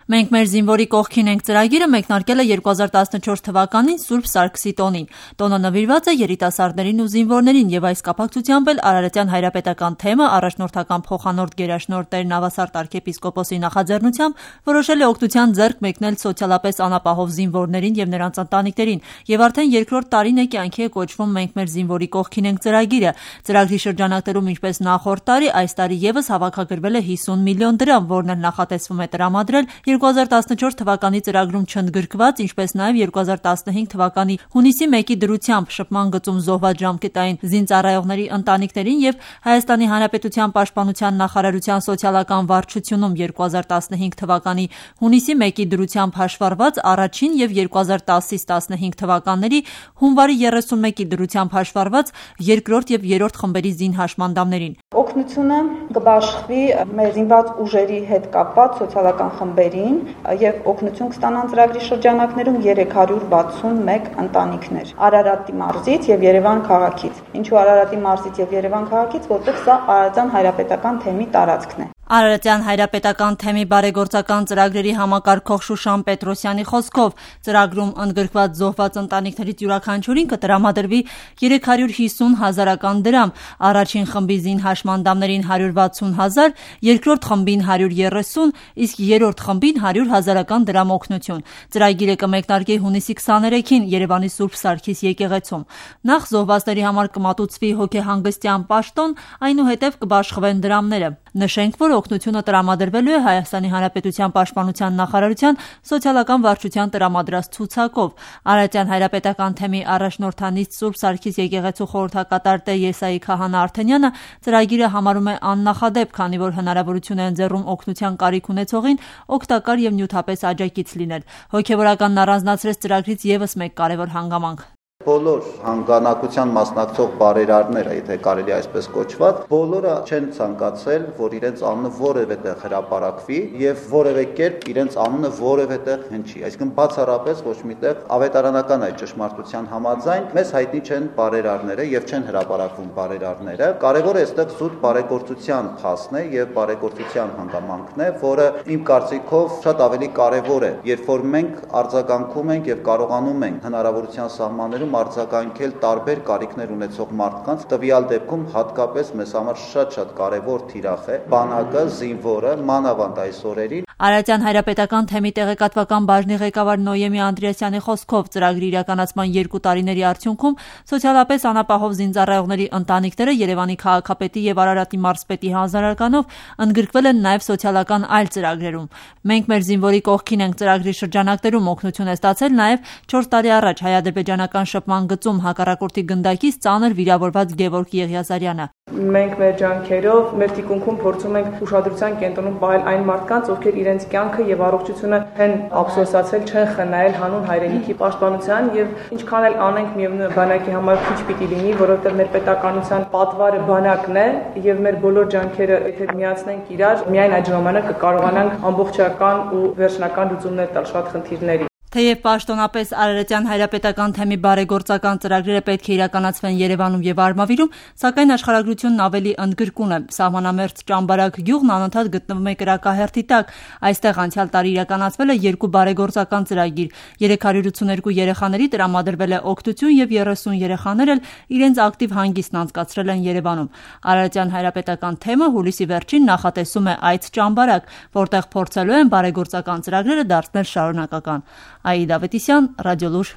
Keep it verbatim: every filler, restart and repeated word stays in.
Մենք մեր զինվորի կողքին ենք ծրագիրը մեկնարկել է երկու հազար տասնչորս թվականին Սուրբ Սարգսի տոնին։ Տոնը նվիրված է երիտասարդներին ու զինվորներին եւ այս կապակցությամբ էլ Արարատյան հայրապետական թեմը առաջնորդական փոխանորդ գերաշնորհ Տեր Նավասարդ arczepiskopos-ի նախաձեռնությամբ որոշել է օգնության ձեռք մեկնել սոցիալապես անապահով զինվորներին եւ նրանց ընտանիքներին եւ արդեն երկրորդ տարին է կյանքի է կոչվում Մենք մեր զինվորի կողքին ենք ծրագիրը։ Ծրագրի շրջանակներում ինչպես նախորդ տարի, այս տարի եւս հավաքագրվել է հիսուն միլիոն դրամ, որն էլ նախատեսվում է տրամադրել երկու հազար տասնչորս թվականի ծրագրում չընդգրկված, ինչպես նաև երկու հազար տասնհինգ թվականի հունիսի մեկի դրությամբ շփման գծում զոհված ժամկետային զինծառայողների ընտանիքներին եւ Հայաստանի Հանրապետության Պաշտպանության նախարարության սոցիալական վարչությունում երկու հազար տասնհինգ թվականի հունիսի մեկի դրությամբ հաշվառված առաջին եւ երկու հազար տասից տասնհինգ թվականների հունվարի երեսունմեկի դրությամբ հաշվառված երկրորդ եւ երրորդ խմբերի զինհաշմանդամներին։ Օգնությունը կբաշխվի մեր զինված ուժերի հետ կապված սոցիալական խմբերին եւ օգնություն կստանան ծրագրի շրջանակներում երեք հարյուր վաթսունմեկ ընտանիքներ Արարատի մարզից եւ Երևան քաղաքից։ Ինչու Արարատի մարզից եւ Երևան քաղաքից, որտեղ սա Արարատյան հայրապետական թեմի տարածքն է։ Արարատյան հայրապետական թեմի բարեգործական ծրագրերի համակարգող Շուշան Պետրոսյանի խոսքով ծրագրում ընդգրկված զոհված ընտանիքներից յուրաքանչյուրին կտրամադրվի երեք հարյուր հիսուն հազարական դրամ, առաջին խմբի զինհաշմանդամներին հարյուր վաթսուն հազար, երկրորդ խմբին հարյուր երեսուն, իսկ երրորդ խմբին հարյուր հազարական դրամ օգնություն։ Ծրագիրը կմեկնարկի հունիսի քսաներեքին Երևանի Սուրբ Սարգիս եկեղեցում։ Նախ զոհվածների համար կմատուցվի հոգեհանգստյան պաշտոն, այնուհետև կբաշխվեն դրամները։ Նշենք, որ օգնությունը տրամադրվելու է Հայաստանի Հանրապետության Պաշտպանության նախարարության սոցիալական վարչության տրամադրած ցուցակով։ Արարատյան հայրապետական թեմի առաջնորդանից Սուրբ Սարգիս եկեղեցու խորհրդակատար Տեր Եսայի Քահանա Արթենյանը ծրագիրը համարում է աննախադեպ, քանի որ հնարավորություն է ընձեռում օգնության կարիք ունեցողին օգտակար եւ նյութապես աջակից լինել։ Հոգեվորականն առանձնացրեց ծրագրից եւս մեկ կարեւոր հանգամանք։ Բոլոր հանգանակության մասնակցող բարերարները, եթե կարելի այսպես կոչված, բոլորը չեն ցանկացել, որ իրենց անունը որևէ տեղ հրապարակվի եւ որևէ կերպ իրենց անունը որևէ տեղ հնչի։ Այսինքն բացառապես ոչ միտեղ ավետարանական այդ ճշմարտության համաձայն մեզ հայտնի չեն բարերարները եւ չեն հրապարակվում բարերարները։ Կարևորը այստեղ զուտ բարեգործության փաստն է եւ բարեգործության հանգամանքն է, որը իմ կարծիքով շատ ավելի կարևոր է, երբ որ մենք արձագանքում ենք եւ կարողանում ենք հնարավորության սահմաններում արձագանքել տարբեր կարիքներ ունեցող մարդկանց, տվյալ դեպքում հատկապես մեզ համար շատ-շատ կարևոր թիրախ է բանակը, զինվորը, մանավանդ այս օրերին։ Արարատյան հայրապետական թեմի տեղեկատվական բաժնի ղեկավար Նոյեմի Անդրեասյանի խոսքով ծրագրի իրականացման երկու տարիների արդյունքում սոցիալապես անապահով զինծառայողների ընտանիքները Երևանի քաղաքապետի եւ Արարատի մարզպետի հանձնարարականով ընդգրկվել են նաեւ սոցիալական այլ ծրագրերում։ Մենք մեր զինվորի կողքին ենք ծրագրի շրջանակներում օգնություն է ստացել նաեւ չորս տարի առաջ հայ-ադրբեջանական շփման գծում հակառակորդի գնդակից ծանր վիրավորված Գևորգ Եղիազարյանը։ Մենք մեր ջանքերով, մեր թիկունքում փորձում ենք ուշադրության կենտրոնում պահել այն մարդկանց, ովքեր իրենց կյանքը եւ առողջությունը են ափսոսացել, չեն խնայել հանուն հայրենիքի պաշտպանության եւ ինչքան էլ անենք միևնույն բանակի համար քիչ պիտի լինի, որովհետեւ մեր պետականության պատվարը բանակն է եւ մեր բոլոր ջանքերը եթե միացնենք իրար, միայն այդ ժամանակ կկարողանանք ամբողջական ու վերջնական լուծումներ տալ շատ խնդիրների։ Թեև պաշտոնապես Արարատյան հայրապետական թեմի բարեգործական ծրագրերը պետք է իրականացվեն Երևանում եւ Արմավիրում, սակայն աշխարհագրությունն ավելի ընդգրկուն է։ Սահմանամերձ Ճամբարակ գյուղն անընդհատ գտնվում է կրակահերթի տակ։ Այստեղ անցյալ տարի իրականացվել է երկու բարեգործական ծրագիր։ երեք հարյուր ութսուներկու երեխաների տրամադրվել է օգնություն եւ երեսուն երեխաներ էլ իրենց ակտիվ հանգիստն անցկացրել են Երևանում։ Արարատյան հայրապետական թեմը հուլիսի վերջին նախատեսում է այց Ճամբարակ, որտեղ փորձելու են բարեգործական ծրագրերը դարձնել շարունակական։ Աիդա Ավետիսյան, Ռադիոլուր։